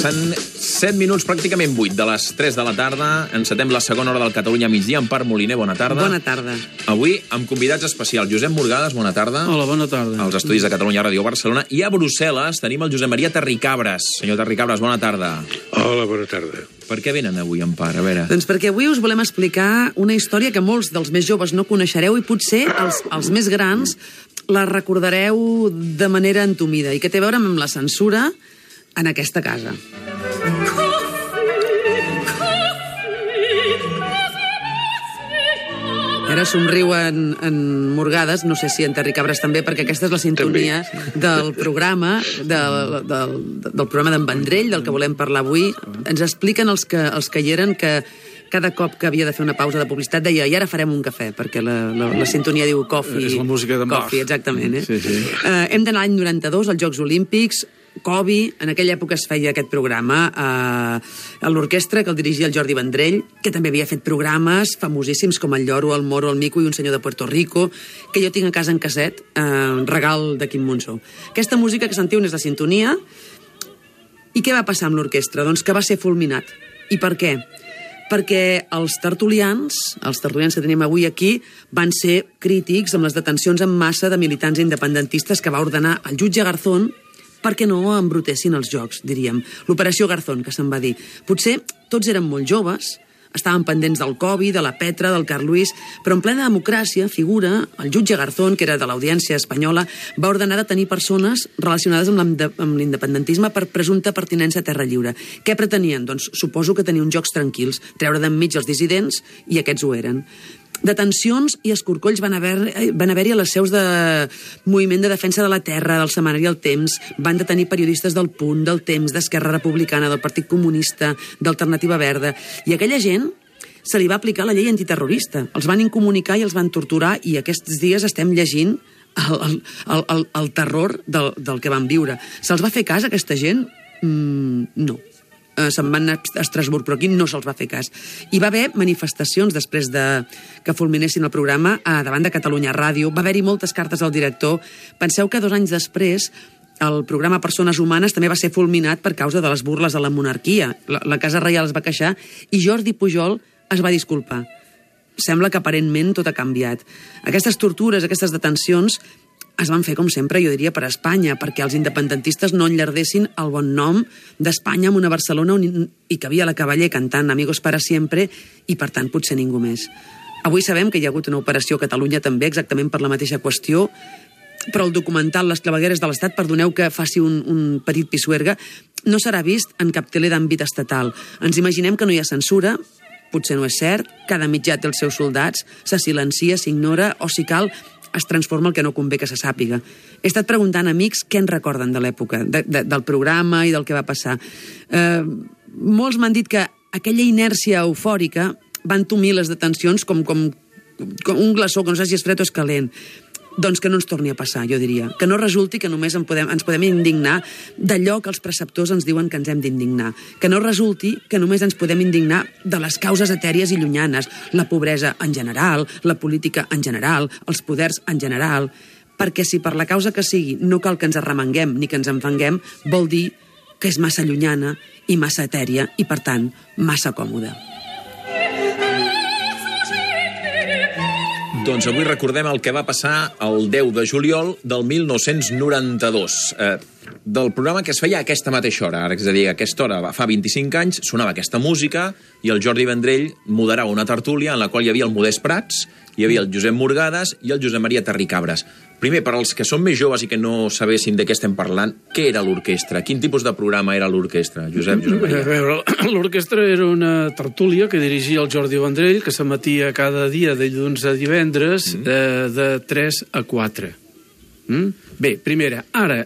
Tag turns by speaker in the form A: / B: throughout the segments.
A: Passen 7 minuts, pràcticament 8 de les 3 de la tarda. Encetem la segona hora del Catalunya migdia. Empar Moliner, bona tarda.
B: Bona tarda.
A: Avui amb convidats especials. Josep Morgades, bona tarda.
C: Hola, bona tarda.
A: Als estudis de Catalunya Ràdio Barcelona. I a Brussel·les tenim el Josep Maria Terricabras. Senyor Terricabras, bona tarda.
D: Hola, bona tarda.
A: Per què venen avui, Empar? A veure.
B: Doncs perquè avui us volem explicar una història que molts dels més joves no coneixereu i potser els més grans la recordareu de manera entumida i que té a veure amb la censura en aquesta casa. Ara somriu en Morgades, no sé si en Terricabras també, perquè aquesta és la sintonia del programa, del programa d'en Vendrell, del que volem parlar avui. Ens expliquen els que hi eren que cada cop que havia de fer una pausa de publicitat deia i ara farem un cafè, perquè la sintonia diu coffee.
C: És la música de Bach.
B: Coffee, exactament.
C: Sí.
B: Hem d'anar a l'any 92, als Jocs Olímpics. Covi, en aquella època es feia aquest programa a l'orquestra que el dirigia el Jordi Vendrell, que també havia fet programes famosíssims com el Lloro, el Moro, el Mico i un senyor de Puerto Rico, que jo tinc a casa en casset, regal de Quim Monzó. Aquesta música que sentiu és la sintonia. I què va passar amb l'orquestra? Doncs que va ser fulminat. I per què? Perquè els tertulians que tenim avui aquí, van ser crítics amb les detencions en massa de militants independentistes que va ordenar el jutge Garzón perquè no embrutessin els jocs, diríem. L'operació Garzón, que se'n va dir. Potser tots eren molt joves, estaven pendents del Covi, de la Petra, del Carl Luis, però en plena democràcia figura el jutge Garzón, que era de l'Audiència espanyola, va ordenar de tenir persones relacionades amb l'independentisme per presumpta pertinença a terra lliure. Què pretenien? Doncs suposo que tenir uns jocs tranquils, treure d'enmig els dissidents, i aquests ho eren. Detencions i escorcolls van haver-hi a les seus de Moviment de Defensa de la Terra, del setmanari El Temps, van detenir periodistes del Punt, del Temps, d'Esquerra Republicana, del Partit Comunista, d'Alternativa Verda, i aquella gent se li va aplicar la llei antiterrorista. Els van incomunicar i els van torturar, i aquests dies estem llegint el terror del que van viure. Se'ls va fer cas a aquesta gent? No. Se'n van a Estrasburg, però aquí no se'ls va fer cas. Hi va haver manifestacions després que fulminessin el programa davant de Catalunya Ràdio. Va haver-hi moltes cartes al director. Penseu que 2 anys després el programa Persones Humanes també va ser fulminat per causa de les burles a la monarquia. La Casa Reial es va queixar i Jordi Pujol es va disculpar. Sembla que aparentment tot ha canviat. Aquestes tortures, aquestes detencions es van fer, com sempre, jo diria, per a Espanya, perquè els independentistes no enllardessin el bon nom d'Espanya amb una Barcelona on hi cabia la Cavaller cantant Amigos para siempre i, per tant, potser ningú més. Avui sabem que hi ha hagut una operació a Catalunya també, exactament per la mateixa qüestió, però el documental Les clavegueres de l'Estat, perdoneu que faci un petit pisuerga, no serà vist en cap tele d'àmbit estatal. Ens imaginem que no hi ha censura, potser no és cert, cada mitjà té els seus soldats, se silencia, s'ignora, o si cal, es transforma el que no convé que se sàpiga. He estat preguntant a amics què en recorden de l'època, del programa i del que va passar. Molts m'han dit que aquella inèrcia eufòrica va entomir les detencions com un glaçó, que no sé si és fred o és calent. Doncs que no ens torni a passar, jo diria. Que no resulti que només ens podem indignar d'allò que els preceptors ens diuen que ens hem d'indignar. Que no resulti que només ens podem indignar de les causes etèries i llunyanes, la pobresa en general, la política en general, els poders en general, perquè si per la causa que sigui no cal que ens arremanguem ni que ens enfanguem, vol dir que és massa llunyana i massa etèria i, per tant, massa còmoda.
A: Doncs avui recordem el que va passar el 10 de juliol del 1992. Del programa que es feia a aquesta mateixa hora. Ara, és a dir, a aquesta hora, fa 25 anys, sonava aquesta música i el Jordi Vendrell moderava una tertúlia en la qual hi havia el Modest Prats, hi havia el Josep Morgades i el Josep Maria Terricabras. Primer, per als que són més joves i que no sabessin de què estem parlant, què era l'orquestra? Quin tipus de programa era l'orquestra? Josep Maria.
C: A veure, l'orquestra era una tertúlia que dirigia el Jordi Vendrell, que s'emetia cada dia de dilluns a divendres de 3 a 4. Bé, primera, ara,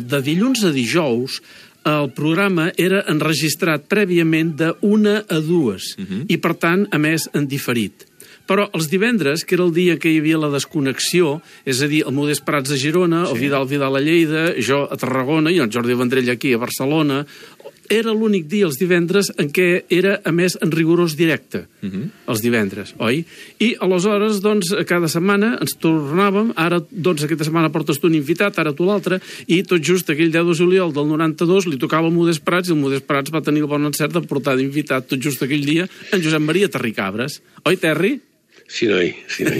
C: de dilluns a dijous, el programa era enregistrat prèviament de 1 a 2 i, per tant, a més, en diferit. Però els divendres, que era el dia que hi havia la desconnexió, és a dir, el Modest Prats a Girona, el Vidal a Lleida, jo a Tarragona i el Jordi Vendrell aquí a Barcelona, era l'únic dia, els divendres, en què era, a més, en rigorós directe, els divendres, oi? I, aleshores, doncs, cada setmana ens tornàvem, ara, doncs, aquesta setmana portes tu un invitat, ara tu l'altre, i tot just aquell 10 de juliol del 92 li tocava el Modest Prats, i el Modest Prats va tenir el bon encert de portar d'invitat tot just aquell dia en Josep Maria Terricabres. Oi, Terri?
D: Sí, noi. Jo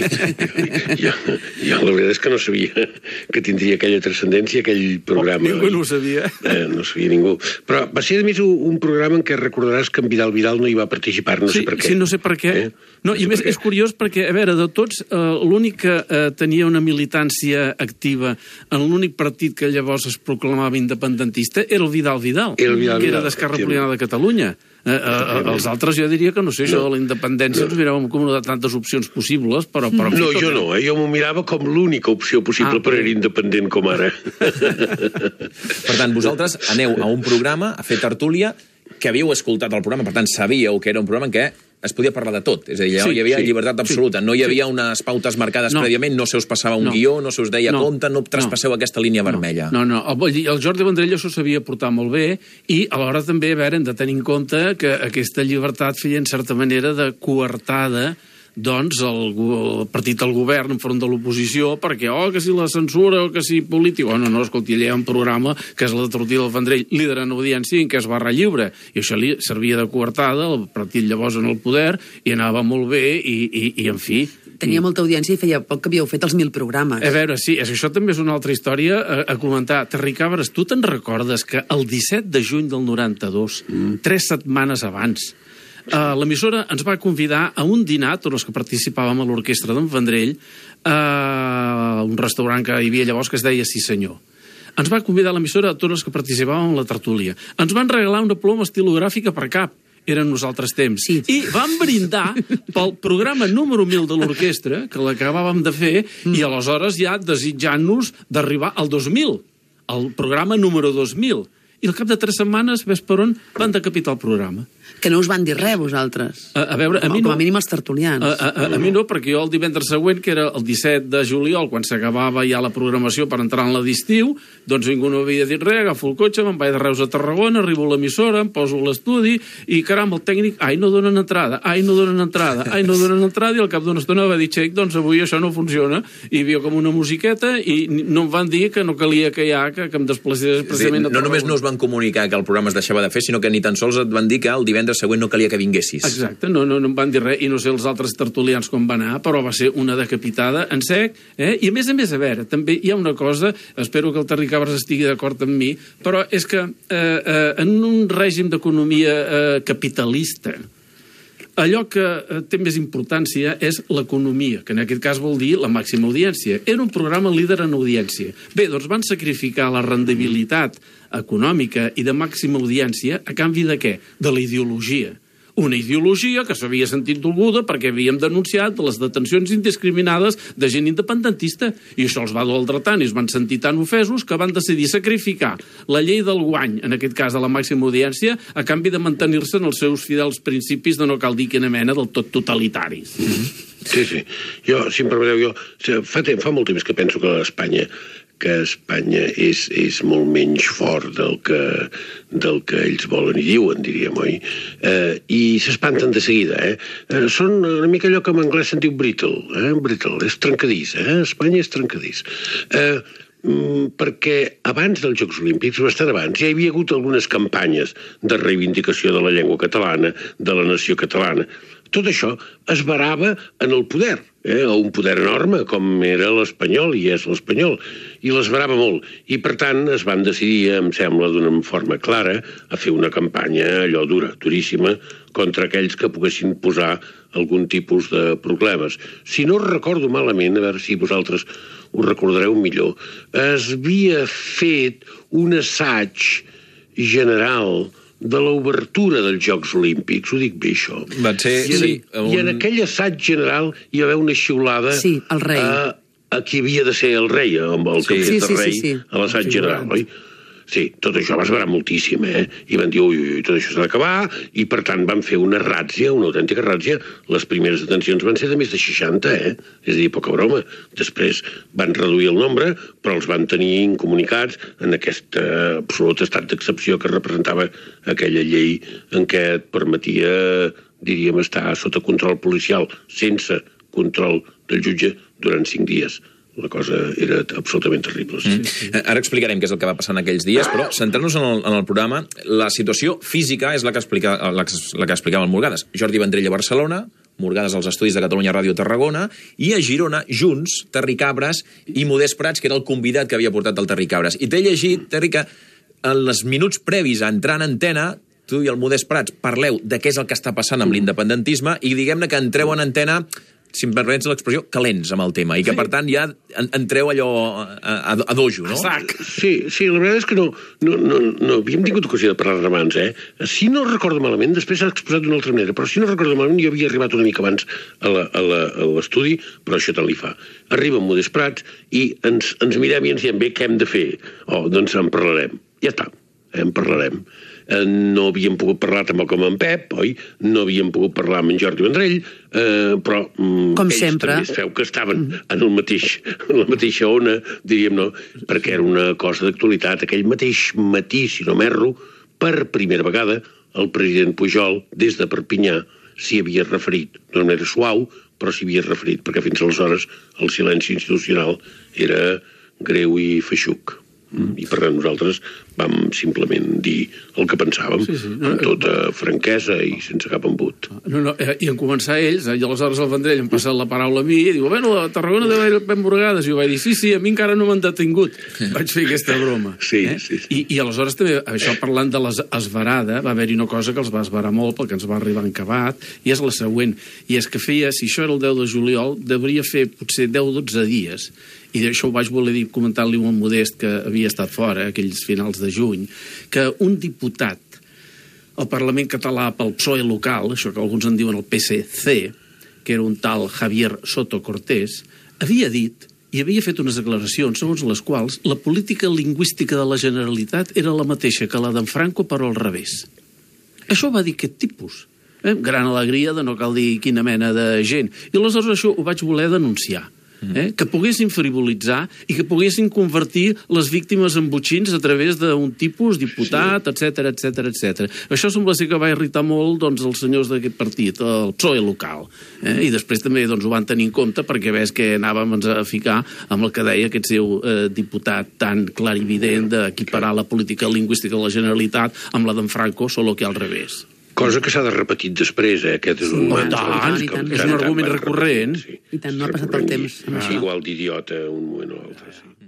D: la veritat és que no sabia que tindria aquella transcendència, aquell programa.
C: Ningú no ho sabia.
D: No sabia ningú. Però va ser, a més, un programa en què recordaràs que en Vidal no hi va participar, no sé per què.
C: Sí, no sé per què. No, i més, és curiós perquè, a veure, de tots, l'únic que tenia una militància activa en l'únic partit que llavors es proclamava independentista era el Vidal, que era d'Esquerra Republicana de Catalunya. Els altres jo diria que no sé, això de la independència ens miràvem com una de tantes opcions possibles, però...
D: No, jo no, jo m'ho mirava com l'única opció possible per ser independent com ara.
A: Per tant, vosaltres aneu a un programa a fer tertúlia, que havíeu escoltat el programa, per tant, sabíeu que era un programa en què es podia parlar de tot. És a dir, hi havia llibertat absoluta. No hi havia unes pautes marcades prèviament, no se us passava un guió, no se us deia compte, no traspasseu aquesta línia vermella.
C: No. El Jordi Vendrell s'ho sabia portar molt bé i alhora també, a veure, hem de tenir en compte que aquesta llibertat feia en certa manera de coartada doncs el partit del govern enfront de l'oposició perquè, que si la censura o que si polític... No, escolti, allà hi ha un programa que és la de Tortí del Vendrell, líder en audiència, en què es barra lliure, i això li servia de coartada, el partit llavors en el poder, i anava molt bé, i en fi...
B: Tenia molta audiència i feia poc que havíeu fet els 1000 programes.
C: A veure, sí, això també és una altra història a comentar. Terricabres, tu te'n recordes que el 17 de juny del 92, 3 setmanes abans, l'emissora ens va convidar a un dinar, tots els que participàvem a l'orquestra d'en Vendrell, a un restaurant que hi havia llavors que es deia Sí Senyor. Ens va convidar l'emissora a tots els que participàvem en la tertúlia. Ens van regalar una ploma estilogràfica per cap. Eren nosaltres temps.
B: Sí.
C: I vam brindar pel programa número 1000 de l'orquestra, que l'acabàvem de fer, i aleshores ja desitjant-nos d'arribar al 2000, al programa número 2000. I al cap de 3 setmanes, ves per on, van decapitar el programa.
B: Que no us van dir res, vosaltres.
C: A veure, a mi no.
B: Com a mínim els tertulians.
C: A mi no, perquè jo el divendres següent, que era el 17 de juliol, quan s'acabava ja la programació per entrar en la d'estiu, doncs ningú no havia dit res, agafo el cotxe, me'n vaig de Reus a Tarragona, arribo a l'emissora, em poso a l'estudi, i caram, el tècnic, no donen entrada, no donen entrada, i al cap d'una estona va dir, xec, doncs avui això no funciona, i hi havia com una musiqueta, i no em van dir que no calia que em desplacés precisament a Tarragona.
A: No només no us van comunicar que el programa es deixava de fer, sinó que ni tan sols et van dir que el divendres següent no calia que vinguessis.
C: Exacte, no em van dir res, i no sé els altres tertulians com va anar, però va ser una decapitada en sec, i a més, a veure, també hi ha una cosa, espero que el Terricabres estigui d'acord amb mi, però és que en un règim d'economia capitalista, allò que té més importància és l'economia, que en aquest cas vol dir la màxima audiència. Era un programa líder en audiència. Bé, doncs van sacrificar la rendibilitat econòmica i de màxima audiència a canvi de què? De la ideologia. Una ideologia que s'havia sentit dolguda perquè havíem denunciat les detencions indiscriminades de gent independentista, i això els va doldre tant i es van sentir tan ofesos que van decidir sacrificar la llei del guany, en aquest cas de la màxima audiència, a canvi de mantenir-se en els seus fidels principis de no cal dir quina mena del tot totalitaris.
D: Sí. Jo, si em permeteu, fa molt temps que penso que Espanya és molt menys fort del que ells volen i diuen, diríem, oi? I s'espanten de seguida, Són una mica allò que en anglès se'n diu brittle, brittle, és trencadís, Espanya és trencadís. Perquè abans dels Jocs Olímpics, bastant abans, ja hi havia hagut algunes campanyes de reivindicació de la llengua catalana, de la nació catalana. Tot això es varava en el poder, un poder enorme com era l'espanyol, i és l'espanyol, i l'esvarava molt. I, per tant, es van decidir, em sembla, d'una forma clara, a fer una campanya allò dura, duríssima, contra aquells que poguessin posar algun tipus de problemes. Si no recordo malament, a veure si vosaltres ho recordareu millor, es havia fet un assaig general de l'obertura dels Jocs Olímpics, ho dic bé, això.
A: Va ser,
D: I en aquell assaig general hi va haver una xiulada
B: al rei.
D: A qui havia de ser el rei, amb el que havia de rei a l'assaig general, oi? Sí, tot això va esverar moltíssim, I van dir, ui, tot això s'ha d'acabar, i per tant van fer una ràtzia, una autèntica ràtzia. Les primeres detencions van ser de més de 60, És a dir, poca broma. Després van reduir el nombre, però els van tenir incomunicats en aquest absolut estat d'excepció que representava aquella llei en què et permetia, diríem, estar sota control policial, sense control del jutge, durant 5 dies. La cosa era absolutament terrible. Sí.
A: Ara explicarem què és el que va passar en aquells dies, però centrant-nos en el programa, la situació física és la que explicava el Morgades. Jordi Vendrell a Barcelona, Morgades als estudis de Catalunya Ràdio Tarragona, i a Girona, junts, Terri Cabres i Modest Prats, que era el convidat que havia portat el Terri Cabres. I t'he llegit, Terri, que en els minuts previs a entrar en antena, tu i el Modest Prats parleu de què és el que està passant amb l'independentisme i diguem-ne que entreu en antena, si em permets l'expressió, calents amb el tema, i que, per tant, ja entreu allò a dojo, no?
D: Sí, la veritat és que no havíem tingut ocasió de parlar abans, Si no recordo malament, després s'ha exposat d'una altra manera, però si no recordo malament, jo havia arribat una mica abans a l'estudi, però això tant li fa. Arriba en Modest Prats i ens mirem i ens diem, bé, què hem de fer? Doncs en parlarem. Ja està, en parlarem. No havíem pogut parlar tampoc amb en Pep, oi? No havíem pogut parlar amb en Jordi Vendrell, però
B: com
D: ells
B: sempre
D: també es veu que estaven en la mateixa ona, diríem, no? Perquè era una cosa d'actualitat. Aquell mateix matí, si no m'erro, per primera vegada, el president Pujol, des de Perpinyà, s'hi havia referit. No era suau, però s'hi havia referit, perquè fins aleshores el silenci institucional era greu i feixuc. I per tant nosaltres vam simplement dir el que pensàvem, amb tota franquesa i sense cap embut.
C: I en començar ells, i aleshores el Vendrell em passa la paraula a mi i diu, bueno, a Tarragona deu haver ben Morgades, i jo vaig dir, sí, a mi encara no m'han detingut. Vaig fer aquesta broma.
D: Sí.
C: I aleshores també, això parlant de l'esverada, va haver-hi una cosa que els va esverar molt perquè ens va arribar encabat, i és la següent, i és que feia, si això era el 10 de juliol, devia fer potser 10-12 dies, i d'això ho vaig voler dir comentant-li un Modest que havia estat fora, aquells finals de juny, que un diputat al Parlament català pel PSOE local, això que alguns en diuen el PSC, que era un tal Javier Soto Cortés, havia dit i havia fet unes declaracions segons les quals la política lingüística de la Generalitat era la mateixa que la d'en Franco, però al revés. Això va dir aquest tipus. Gran alegria de no cal dir quina mena de gent. I aleshores això ho vaig voler denunciar. Que poguessin frivolitzar i que poguessin convertir les víctimes en botxins a través d'un tipus, diputat, etc. Això sembla ser que va irritar molt els senyors d'aquest partit, el PSOE local. I després també ho van tenir en compte perquè ves que anàvem a ficar amb el que deia aquest seu diputat tan clarivident d'equiparar la política lingüística de la Generalitat amb la d'en Franco, solo que al revés.
D: Cosa que s'ha de repetir després, Aquest és un mantra.
C: És un argument recurrent.
B: I tant, no ha passat el temps.
D: És igual d'idiota un moment o l'altre, sí.